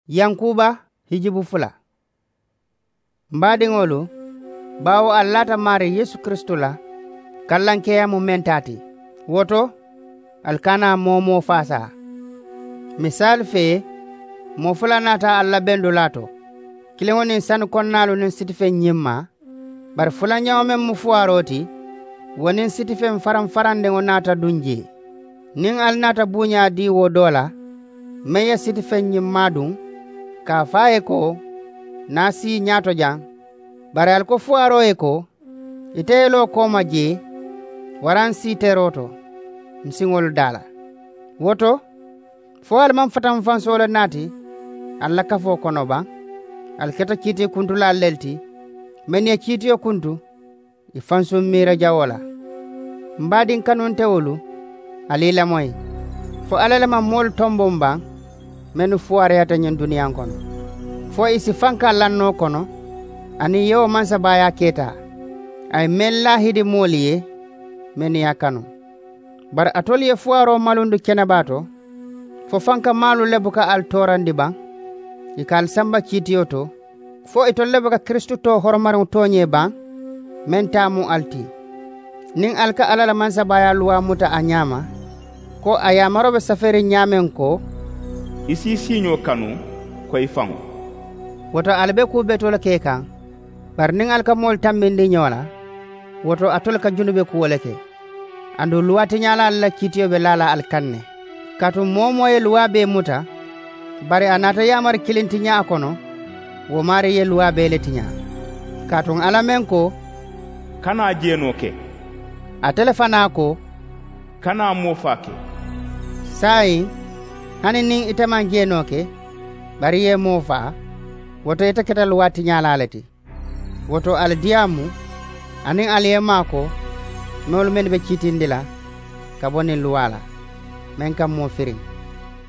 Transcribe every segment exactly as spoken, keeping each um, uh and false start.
Yankuuba hijibu fula. M baadiŋolu, baawo ali laata maarii yeesu kiristu la kallankeeyaa mu meŋ taa ti, wo to ali kana moo-wo-moo faasaa. Misaali fee, moo fula naata ali la bendulaa to, kiliŋo niŋ sani konnaalu niŋ sitifeŋ ñimmaa. Bari fulanjaŋo meŋ mu fuwaaroo ti, wo niŋ sitifeŋ faraŋ farandiŋo naata duŋ jee. Niŋ ali naata buuñaa dii wo doo la, meŋ ye sitifeŋ ñimmaa duŋ, ka a fo a ye ko, ǹ na a sii ñaato jaŋ. Bari ali ko fuwaaroo ye ko, ite ye loo kooma jee, waraŋ sii teroo to, m siŋolu daa la. Wo to, fo ali maŋ fatamfansoo le naati ali la kafoo kono baŋ? Ali keta kiitii kuntulaalu le ti, mennu ye kiitiyo kuntu ì fansuŋ miira jawoo la. M baadiŋ kanuntewolu, ali ì lamoyi, fo alla le maŋ moolu tomboŋ baŋ, mennu fuwaariyata ñiŋ duniyaa kono, fo ì si fanka lannoo kono aniŋ yewoo mansabaayaa keeta, a ye meŋ laahidi moolu ye, mennu ye a kanu. Bari alitolu ye fuwaaroo malundi kenebaa to, fo fanka maalu le buka ali toorandi baŋ, ì ka ali samba kiitiyo to, fo itolu le buka kiristu too horomariŋo tooñee baŋ, meŋ taa mu ali ti? Niŋ ali ka alla la mansabaayaa luwaa muta a ñaama, ko a yaamaroo be safeeriŋ ñaameŋ ko, ì si ì siiñoo kanu ko ì faŋo. Wo to ali be kuu betoo le ke kaŋ. Bari niŋ ali ka moolu tambindi ñoo la, wo to alitolu ka junube kuwo le ke. Aduŋ luwaa tiñaalaalu la kiitiyo be laa la ali kaŋ ne. Kaatu moo-wo-moo ye luwaa bee muta, bari a naata yaamari kiliŋ tiñaa a kono, wo maarii ye luwaa bee le tiñaa. Kaatu alla meŋ ko, kana jeenoo ke, ate le fanaa ko, kana moofaa ke. Saayiŋ, hani niŋ ite maŋ jeenoo ke, bari i ye moofaa, wo to ite keta luwaa tiñaalaa le ti. Wo to ali diyaamu, aniŋ ali ye maakoo, meolu mennu be kiitindi la ka bo niŋ luwaa la, meŋ ka moo firiŋ.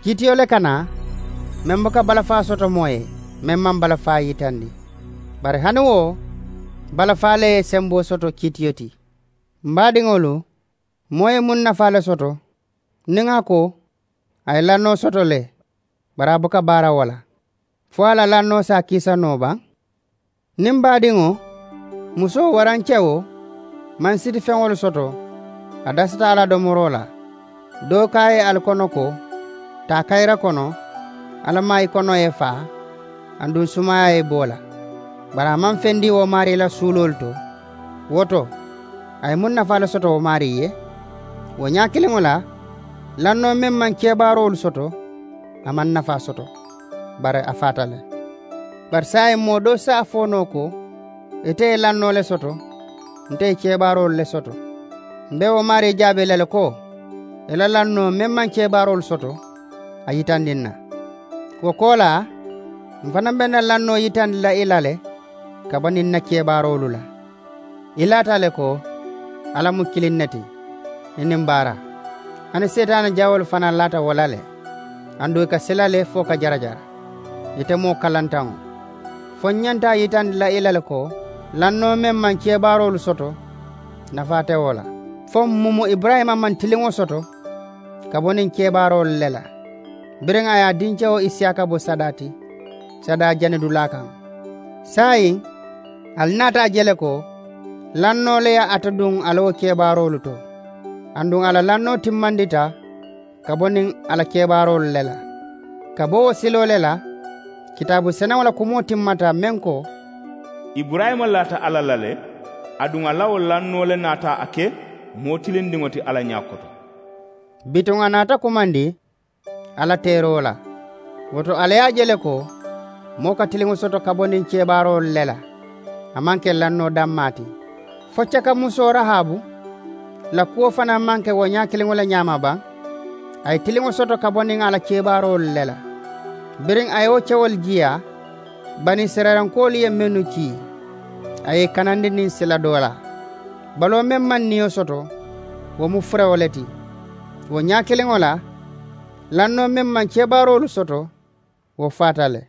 Kiitiyo le ka naa, meŋ buka balafaa soto moo ye, meŋ maŋ balafaa yitandi. Bari hani wo, balafaa le ye semboo soto kiitiyo ti. M baadiŋolu, moo ye muŋ nafaa le soto niŋ a ko a ye lannoo soto le, bari a buka baara wo la, fo a la lannoo si a kiisa noo baŋ? Niŋ baadiŋo, musoo waraŋ kewo, maŋ sitifeŋolu soto, a dasata a la domoroo la, doo ko a ye ali kono ko, taa kayira kono, alla maayi konoo ye faa, aduŋ sumaayaa ye bo la, bari a maŋ fendi wo maarii la suuloolu to. Wo to, a ye muŋ nafaa le soto wo maarii ye? Wo ñaa kiliŋo la, lannoo meŋ maŋ kebaaroolu soto, a maŋ nafaa soto, bari a faata le. Bari saayiŋ moo doo si a fo noo ko, ite ye lannoo le soto, nte ye kebaaroolu le soto. M be wo maarii jaabee la le ko, i la lannoo meŋ maŋ kebaaroolu soto, a yitandi n na. Wo koolaa, m fanaŋ be n na lannoo yitandi la i la le, ka bo niŋ n na kebaaroolu la. I laata le ko, alla mu kiliŋ ne ti, i niŋ baara. Hani seetaane jawoolu fanaa laata wo la le, aduŋ i ka sila le fo ka jarajara, ite moo kalantaŋo. Fo n ñanta a yitandi la i la le ko, lannoo meŋ maŋ kebaaroolu soto, nafaa te wo la. Fo m mumu iburayima maŋ tiliŋo soto, ka bo niŋ kebaaroolu le la, biriŋ a ye a dinkewo isiyaaka bo sadaa ti, sadaa janidulaa kaŋ. Saayiŋ, ali naata a je le ko, lannoo le ye ate duŋ a la wo kebaaroolu to, aduŋ a la lannoo timmandita ka bo niŋ a la kebaaroolu le la. Ka bo wo siloo le la, kitaabu senewo la kumoo timmata meŋ ko, iburayima laata alla la le, aduŋ a la wo lannoo le naata a ke moo tilindiŋo ti alla ñaa koto. Bituŋ a naata kumandi alla teeroo la. Wo to alla ye a je le ko, moo ka tiliŋo soto ka bo niŋ kebaaroolu le la, a maŋ ke lannoo dammaa ti. Fo cakamusoo rahaabu la kuwo fanaa maŋ ke wo ñaa kiliŋo le ñaama baŋ? A ye tiliŋo soto ka bo niŋ a la kebaaroolu le la. Biriŋ a ye wo kewolu jiiyaa, banisirayilankoolu ye mennu kii, a ye i kanandi niŋ sila doolaa. Baloo meŋ maŋ niyo soto, wo mu furewo le ti. Wo ñaa kiliŋo la, lannoo meŋ maŋ kebaaroolu soto, wo faata le.